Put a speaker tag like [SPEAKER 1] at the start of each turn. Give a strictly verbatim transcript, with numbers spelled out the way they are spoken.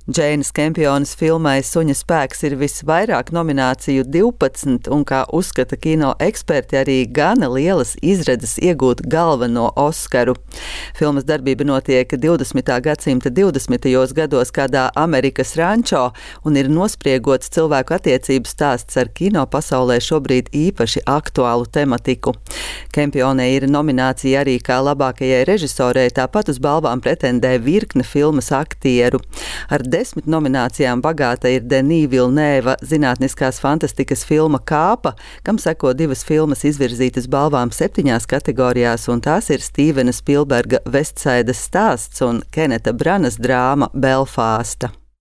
[SPEAKER 1] Džeinas Kempjonas filmai Suņa spēks ir visvairāk nomināciju divpadsmit, un, kā uzskata kino eksperti, arī gana lielas izredzes iegūt galveno Oskaru. Filmas darbība notiek divdesmitā gadsimta divdesmitajos gados kādā Amerikas rančo un ir nospriegots cilvēku attiecību stāsts ar kino pasaulē šobrīd īpaši aktuālu tematiku. Kempjonai ir nominācija arī kā labākajai režisorei, tāpat uz balvām pretendē virkne filmas aktieru. Ar desmit nominācijām bagāta ir Denis Villeneuva zinātniskās fantastikas filma Kāpa, kam seko divas filmas izvirzītas balvām septiņās kategorijās, un tās ir Stīvena Spilberga Vestsaidas stāsts un Keneta Branas drāma Belfāsta.